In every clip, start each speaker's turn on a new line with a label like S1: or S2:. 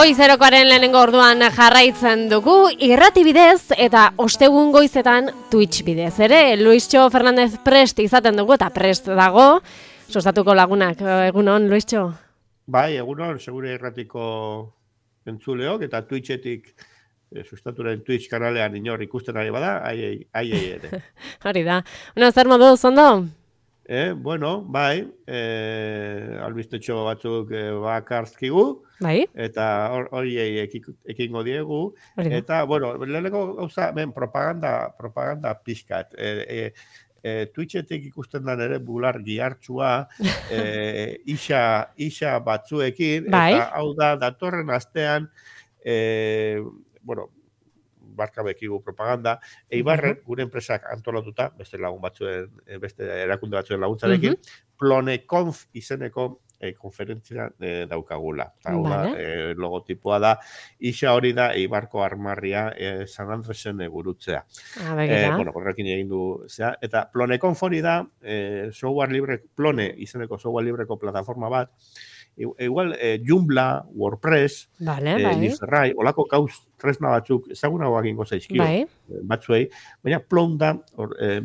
S1: Goizerokoaren lehenengo orduan jarraitzen dugu, irrati bidez eta ostegun goizetan Twitch bidez. Ere, Luistxo Fernandez prest izaten dugu eta prest dago. Sostatuko lagunak, egunon, Luistxo?
S2: Bai, egunon, segure irratiko entzuleok eta Twitchetik sustaturen Twitch kanalean inor ikusten ari bada, ai ere.
S1: Hori da. Zer modu, zondo?
S2: Bueno, bai, albistetxo batzuk bakarzkigu,
S1: bai?
S2: Eta hori ekingo diegu, eta, bueno, leheneko gauza, propaganda pixkat. Twitchetik ikusten den ere bular gihartxua, isa batzuekin,
S1: bai?
S2: Eta hau da, datorren astean, bueno, barka bekigu propaganda, Eibarren gure enpresak antolatuta, beste lagun batzuen, beste erakunde batzuen laguntzarekin, Ploneconf izeneko konferentzia daukagula. Hau da, logotipoa da, isa hori da Eibarko armarria San Andresen gurutzea. Bueno, horrekin egin du, eta Ploneconf hori da, software libre, Plone izeneko software libreko plataforma bat, igual Joomla, WordPress, Liferrai, olako tresna batzuk ezagunagoak ingo zaizkio batzuei, baina Plon da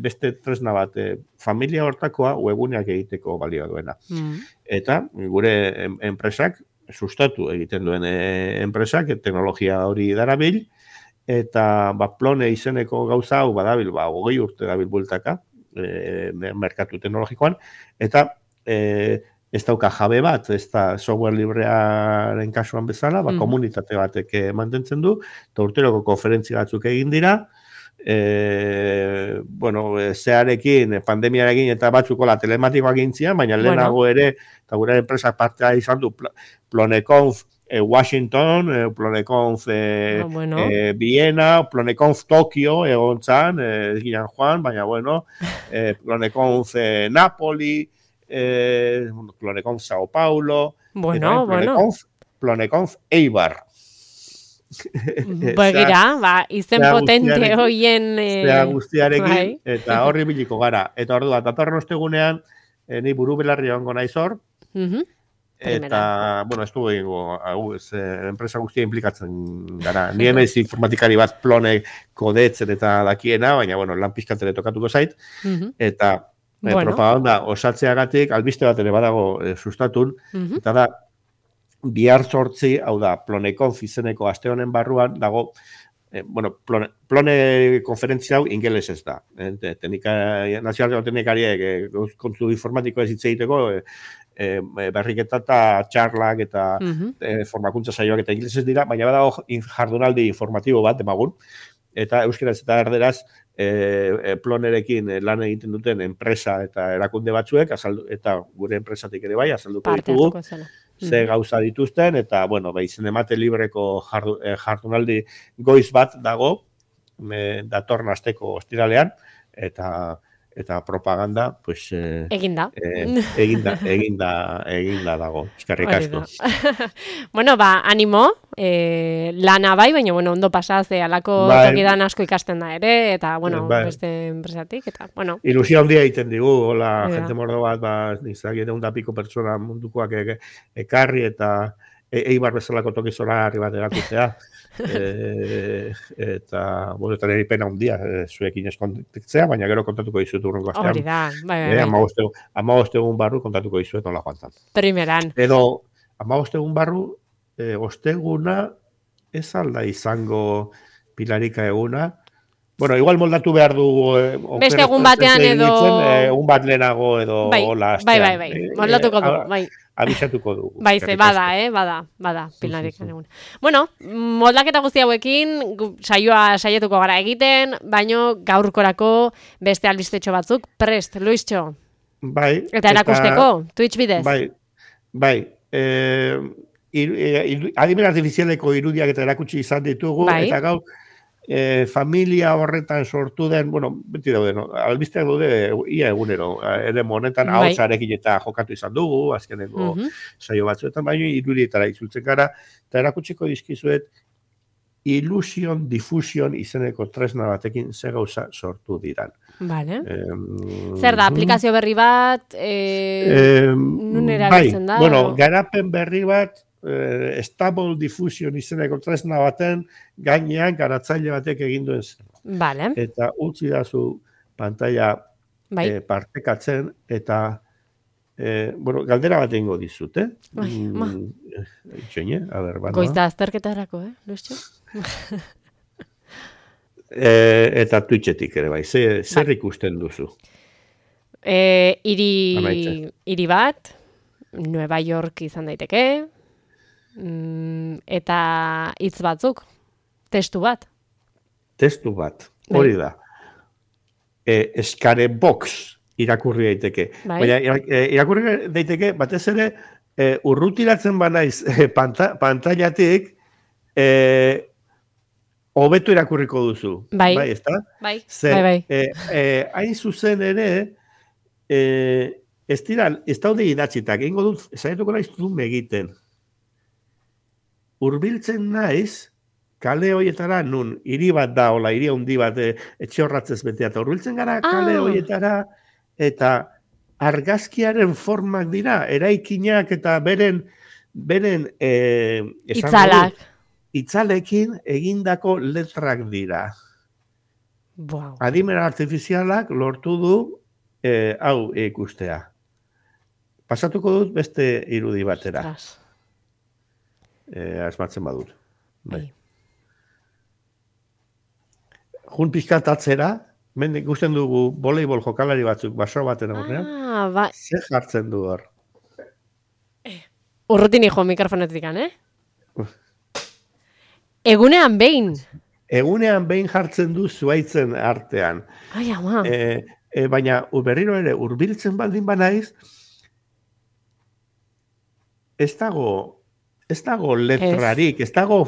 S2: beste tresna bat familia hortakoa webuneak egiteko balio duena. Eta gure enpresak, sustatu egiten duen enpresak, teknologia hori darabil, eta Plone izeneko gauza hau badabil, 20 urte dabil bueltaka, merkatu teknologikoan, eta ez dauka jabe bat, ez da software librearen kasuan bezala, komunitate batek mantentzen du, eta urteroko konferentzia batzuk egin dira, bueno, zearekin, pandemiarekin eta batzuko la telematikoak egin baina lehenago ere, eta gure enpresak partea izan du, Ploneconf Washington, Ploneconf Viena, Ploneconf Tokio egon zan, ez ginen joan, baina bueno, Ploneconf Napoli, Ploneconf Sao Paulo, Ploneconf Eibar.
S1: Begira, izen potente hoien
S2: guztiarekin, eta horri biliko gara. Eta orduan, datorren ostegunean, ni buru belarri ongo naiz hor, eta, bueno, ez du egingo, enpresa guztia implikatzen gara. Ni emez informatikari bat Plone kodetzen eta dakiena, baina, bueno, lan pizkatere tokatuko zait, eta propaganda osatzeagatik albiste bat ere badago sustatun, eta da, bihar sortzi, hau da, Ploneconf izeneko aste honen barruan, dago, bueno, Plone konferentzia hau ingeles ez da. Nazioarteko teknikariek kontu informatiko ez hitz egiteko, berriketa eta txarlak eta formakuntza saioak eta ingelesez dira, baina badago jardunaldi informatibo bat, demagun, eta euskeraz eta erderaz Plonerekin lan egiten duten enpresa eta erakunde batzuek, eta gure enpresatik ere bai, azalduko ditugu, ze gauza dituzten, eta, bueno, izen emate libreko jardunaldi goiz bat dago, datorren asteko ostiralean, eta propaganda, pues...
S1: Eginda.
S2: Eginda dago, eskerrik asko.
S1: Bueno, animo, lana bai, baina, bueno, ondo pasaz, alako tokidan asko ikasten da ere, eta, bueno, beste enpresatik, eta, bueno.
S2: Ilusio handia egiten digu, hola, jente mordo bat, nizak, eta piko pertsona mundukoak ekarri, eta Eibar bezalako tokizora harri bat erakutzea. Eta, bueno, eta nire pena handia zuekin ez kontaktzea, baina gero kontatuko dizut urrengo astean.
S1: Hori da, bai.
S2: 15 egun barru kontatuko dizuet nola joan zan.
S1: Primeran.
S2: Edo, 15 egun barru, osteguna ez alda izango Pilarika eguna. Bueno, igual moldatu behar du...
S1: Beste egun batean edo...
S2: Egun bat lehenago edo...
S1: Bai, moldatuko du, bai.
S2: Abisatuko dugu.
S1: Bai, bada, Pilarik egun. Bueno, moldaketa guzti hauekin, saietuko gara egiten, baino gaurkorako beste albistetxo batzuk, prest, Luistxo.
S2: Bai.
S1: Eta erakusteko, Twitch bidez.
S2: Bai. Adimen artifizialeko irudiak eta erakutsi izan ditugu, eta gaur, familia horretan sortu den, bueno, beti daude, albisteak daude ia egunero, ere monetan ahotsarekin eta jokatu izan dugu, azkeneko saio batzuetan, baina irudietara itzultzen gara, eta erakutsiko dizkizuet, Illusion Diffusion izeneko tresna batekin ze gauza sortu diran.
S1: Vale. Zer da, aplikazio berri bat, nun erabiltzen da?
S2: Bueno, garapen berri bat, Stable Diffusion izeneko tresna baten gainean garatzaile batek egin duen zen.
S1: Vale.
S2: Eta utzi dazu pantalla partekatzen eta bueno, galdera bat egingo dizut, Itxoine, a ber, banoa.
S1: Goiz da azterketarako, Luistxo?
S2: Eta Twitchetik ere bai, zer ikusten duzu?
S1: Hiri bat, Nueva York izan daiteke, eta hitz batzuk, testu bat.
S2: Testu bat, hori da. Eskare box irakurri daiteke. Baina irakurri daiteke, batez ere, urrutiratzen banaiz pantailatik, hobeto irakurriko duzu.
S1: Bai,
S2: ezta?
S1: Bai.
S2: Hain zuzen ere, ez daude idatzitak, egingo dut, esaietuko naiz du egiten. Hurbiltzen naiz, kale horietara, nun, hiri bat da, hola, hiri handi bat, etxe horratzez betea, eta hurbiltzen gara kale horietara, eta argazkiaren formak dira, eraikinak eta beren itzalekin egindako letrak dira.
S1: Wow.
S2: Adimen artifizialak lortu du hau ikustea. Pasatuko dut beste irudi batera. Asmatzen badut. Bai. Jun pixkat atzera, ikusten dugu voleibol jokalari batzuk baso baten aurrean. Zer jartzen du hor?
S1: Urrutin hijo mikrofonetik, Egunean behin.
S2: Egunean behin jartzen du zuaitzen artean.
S1: Ai, ama.
S2: Baina berriro ere hurbiltzen baldin banaiz, ez dago letrarik, ez dago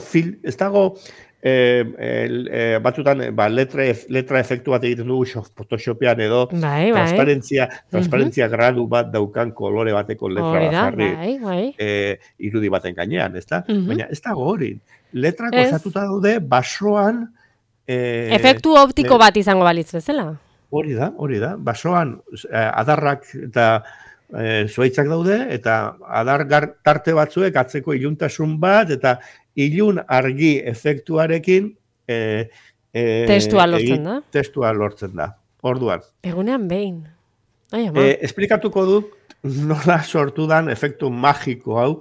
S2: batzutan letra efektu bat egiten dugu Photoshopean edo transparentzia gradu bat daukan kolore bateko letra bat jarri irudi baten gainean, ezta? Baina ez dago hori. Letrak osatuta daude basoan
S1: efektu optiko bat izango balitz bezala.
S2: Hori da. Basoan adarrak eta zuaitzak daude, eta adar tarte batzuek atzeko iluntasun bat, eta ilun argi efektuarekin
S1: testua
S2: lortzen da. Orduan.
S1: Egunean behin.
S2: Esplikatuko dut nola sortu dan efektu magiko hau,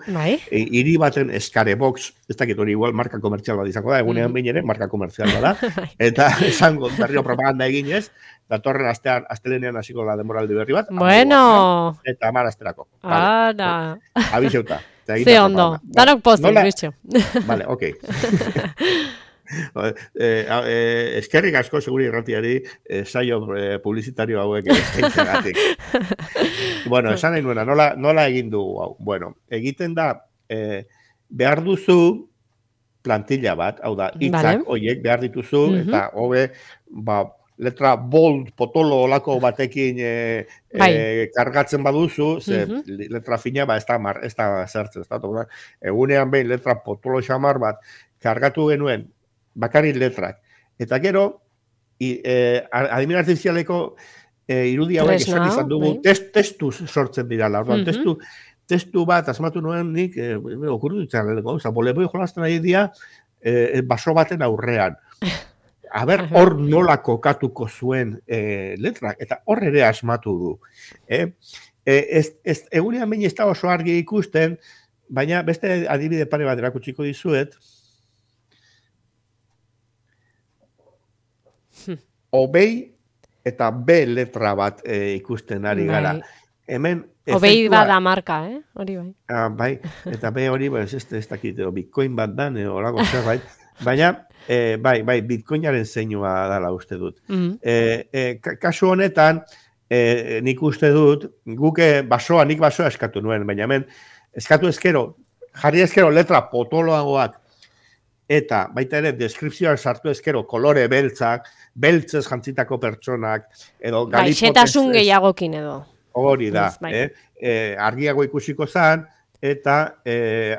S2: hiri baten eskare box, ez dakit hori igual marka komertzial bat izango da, egunean behin ere marka komertzial bat da, eta esango berriro propaganda eginez, datorren astelenean hasiko da denboraldi berri bat.
S1: Bueno.
S2: Eta 10 asterako.
S1: Ara.
S2: Abixeuta.
S1: Ze ondo. Danok pozik, bitxo.
S2: Vale, ok. Eskerrik asko seguri irratiari saio publizitario hauek eskaintzegatik. Bueno, esan nahi nuena, nola egin dugu hau? Bueno, egiten da, behar duzu plantilla bat, hau da, hitzak horiek behar dituzu, eta hobe, letra bold, potolo olako batekin kargatzen baduzu, ze letra fina ez da zertzen. Egunean behin letra potolo xamar bat kargatu genuen bakarrik letrak. Eta gero, adimen artifizialeko irudi hauek esan izan dugu, testu sortzen dira. Testu bat, asmatu nuen nik, okurru ditzen, boleboi jolazten ari dira baso baten aurrean. Aber, hor nola kokatuko zuen letrak, eta hor ere asmatu du. Egunean behin ez da oso argi ikusten, baina beste adibide pare bat erakutsiko dizuet, Obei eta B letra bat ikusten ari gara. Hemen
S1: Obei bada marka, hori bai.
S2: Bai, eta B hori, ez dakit, Bitcoin bat da, horako zerbait. Baina, bai, Bitcoinaren zeinua dela uste dut. Kasu honetan, nik uste dut, nik basoa eskatu nuen, baina hemen, eskatu ezkero, jarri ezkero letra potoloagoak, eta baita ere, deskripzioak sartu ezkero, kolore beltzak, beltzez jantzitako pertsonak, edo galipotez...
S1: Xetasun gehiagokin edo.
S2: Hori da, argiago ikusiko zan, eta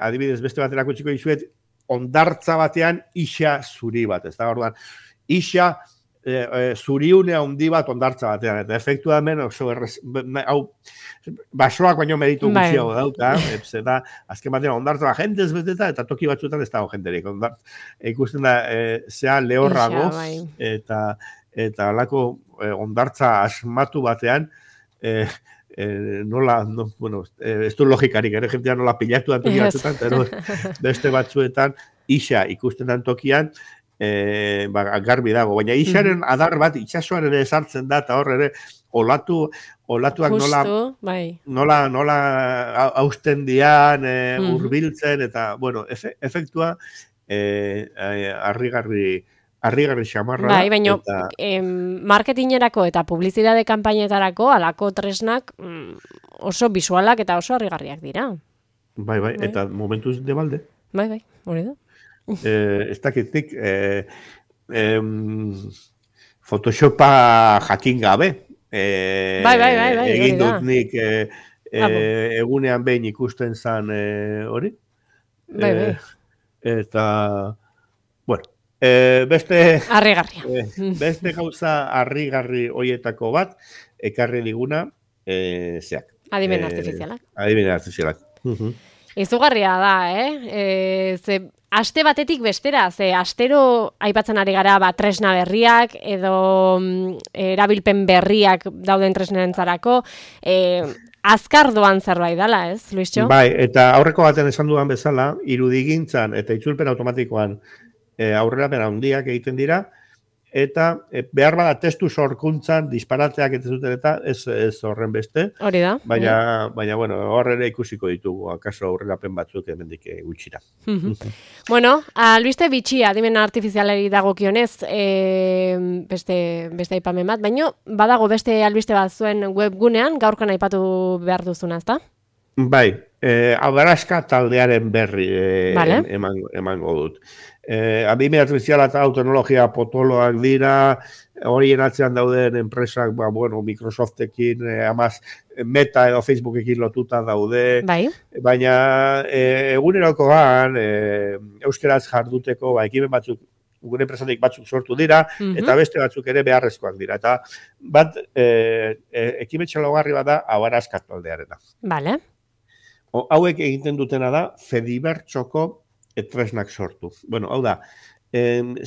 S2: adibidez beste bat erakutsiko dizuet, ondartza batean isa zuri bat, ez da, orduan, isa zuriune handi bat ondartza batean, eta efektua hemen oso hau, basoak baino meritu gutxiago dauka, eta azken batean ondartza jendez beteta, eta toki batzuetan ez dago jenderik. Ikusten da, zea lehorrago, eta alako ondartza asmatu batean, ez du logikarik, jendean nola pilatu da toki batzuetan, pero beste batzuetan, isa ikusten den tokian, garbi dago, baina isaren adar bat itsasoan ere sartzen da, eta hor ere olatuak nola hausten dian, hurbiltzen, eta, bueno, efektua harrigarri xamarra da.
S1: Bai, baina marketingerako eta publizitate kanpainetarako alako tresnak oso bisualak eta oso harrigarriak dira.
S2: Bai, eta momentuz de balde.
S1: Bai, hori da.
S2: Ez dakitik Photoshopa jakin gabe egin dut nik egunean behin ikusten zan hori eta bueno beste gauza harrigarri hoietako bat ekarri diguna zeak
S1: adimen artifizialak izugarria da, ze aste batetik bestera, ze astero aipatzen ari gara tresna berriak edo erabilpen berriak dauden tresnarentzarako, azkar doan zerbait dela, ez, Luistxo?
S2: Bai, eta aurreko baten esan dudan bezala, irudigintzan eta itzulpen automatikoan aurrerapen handiak egiten dira, eta behar bada testu sorkuntzan disparateak ez zuten eta ez horren beste.
S1: Hori da.
S2: Baina bueno, horrela ikusiko ditugu, akaso aurrerapen batzuk hemendik gutxira.
S1: Bueno, albiste bitxia, adimen artifizialari dagokionez, beste aipamen bat, baina badago beste albiste bat zuen webgunean, gaurkan aipatu behar duzuna, ezta?
S2: Bai, Abaraska taldearen berri emango dut. Adimen artifiziala eta teknologia potoloak dira, horien atzean dauden enpresak, Microsoftekin, Meta edo Facebookekin lotuta daude, baina egunerokoan euskeraz jarduteko ekimen batzuk, gure enpresatik batzuk sortu dira, eta beste batzuk ere beharrezkoak dira. Eta bat, ekimen txalogarri bat da Abaraska taldearena.
S1: Bale.
S2: Hauek egiten dutena da, Fedibertsoko tresnak sortu. Bueno, hau da,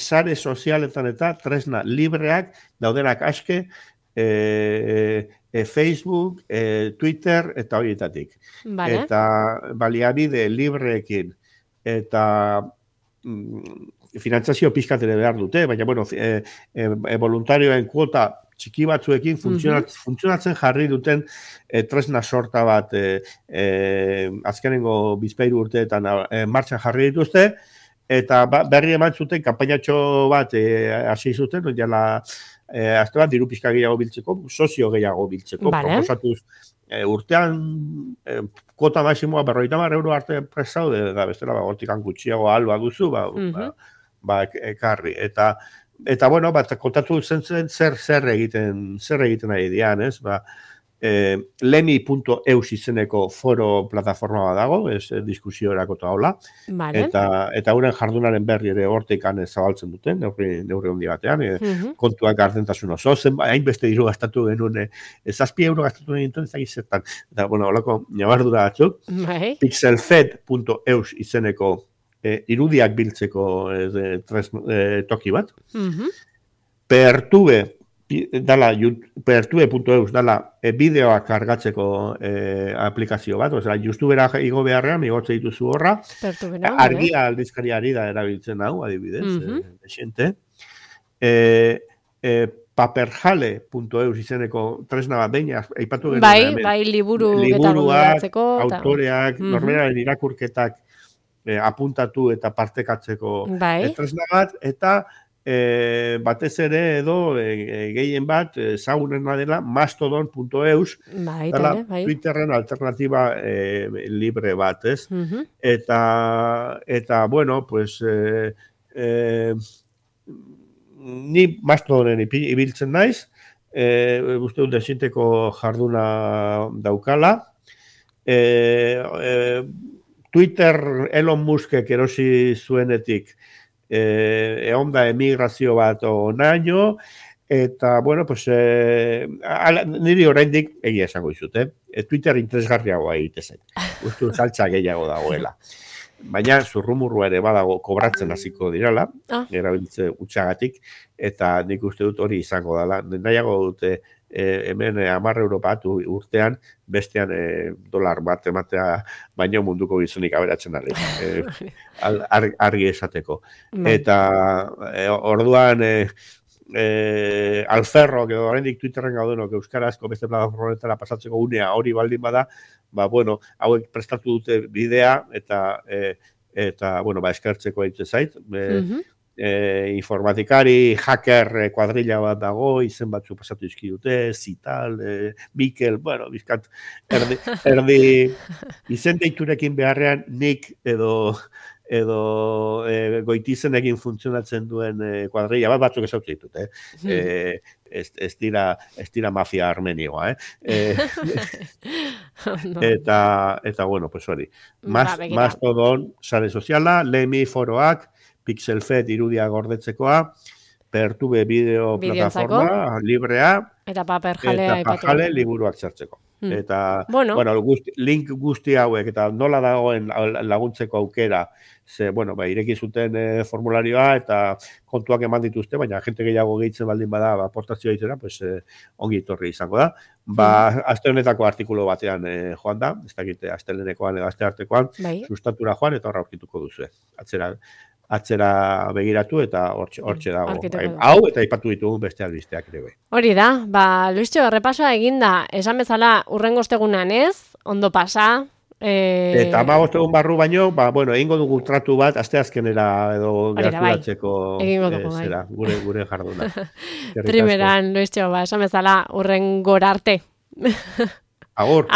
S2: sare sozialetan eta tresna libreak daudenak aske Facebook, Twitter eta horietatik. Eta baliabide libreekin eta finantzazio pizkatere behar dute, baina, bueno, voluntarioen kuota txiki batzuekin funtzionatzen jarri duten tresna sorta bat azkenengo bizpahiru urteetan martxan jarri dituzte, eta berri eman zuten kanpainatxo bat hasi zuten, azte bat diru pizka gehiago biltzeko, sozio gehiago biltzeko, proposatuz urtean kuota maximoa 50 euro arte presaude, da bestela hortikan gutxiago alba duzu, ekarri, eta bueno, kontatu zen zer egiten nahi dian, ez? Lemi.eus izeneko foro plataforma bat dago, diskusiorako eta hola, eta euren jardunaren berri ere hortikan zabaltzen duten, neurri handi batean, kontuak gardentasun oso, hainbeste diru gastatu genuen, 7 euro gastatu genuen zertan, eta bueno, holako nabardura batzuk, pixelfed.eus izeneko irudiak biltzeko toki bat. Pertube.eus dala bideoak kargatzeko aplikazio bat, YouTubera igo beharrean, igotze dituzu horra, argia aldizkariari da erabiltzen hau, adibidez, desente. Paperjale.eus izeneko tresna bat behin, aipatu genuen.
S1: Bai, liburuak,
S2: autoreak, norberaren irakurketak apuntatu eta partekatzeko tresna bat, eta batez ere edo gehien bat ezagunena dela mastodon.eus dela Twitterren alternatiba libre bat, ez? Eta bueno, pues ni mastodonen ibiltzen naiz, uste dut desinteko jarduna daukala, Twitter Elon Muskek erosi zuenetik egon da emigrazio bat onaino, eta, bueno, pues, niri oraindik egia esango dizut, Twitter interesgarriagoa egite zen. Uste saltza gehiago dagoela. Baina zurrumurrua ere badago kobratzen hasiko dirala, erabiltze utxagatik, eta nik uste dut hori izango dela. Nahiago dute hemen 10 euro bat urtean, bestean dolar bat ematea baino munduko gizonik aberatzen ari. Argi esateko. Eta orduan alferro, edo oraindik Twitterren gaudenok euskarazko beste plataformetara pasatzeko unea hori baldin bada, bueno, hauek prestatu dute bidea eta bueno, eskertzeko egite zait. Informatikari, hacker kuadrilla bat dago, izen batzu pasatu izki dute, Zital, Mikel, bueno, bizkat, erdi izen deiturekin beharrean nik edo goitizenekin funtzionatzen duen kuadrilla bat batzuk ezautu ditut, ez dira mafia armenioa, eta bueno, pues hori. Mastodon, sare soziala, Lemi foroak, Pixelfed irudia gordetzekoa, Pertube bideo plataforma, librea, eta Paperjale liburuak sartzeko. Eta, bueno, link guzti hauek, eta nola dagoen laguntzeko aukera, bueno, ireki zuten formularioa, eta kontuak eman dituzte, baina jente gehiago gehitzen baldin bada, aportazioa izena, pues, ongi etorri izango da. Aste honetako artikulu batean joan da, ez dakite, astelenekoan edo asteartekoan, sustatura joan, eta horra aurkituko duzue. Atzera begiratu eta hortxe dago. Hau eta aipatu ditugu beste albisteak ere.
S1: Hori da, Luistxo, errepasoa eginda, esan bezala urrengo ostegunean ondo pasa.
S2: Eta 15 egun barru baino, bueno, egingo dugu tratu bat, asteazkenera edo gerturatzeko gure jarduna.
S1: Primeran, Luistxo, esan bezala urrengora arte.
S2: Agur.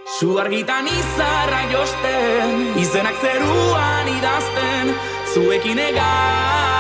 S3: Zu argitan izarra josten, izenak zeruan idazten, zuekin egan.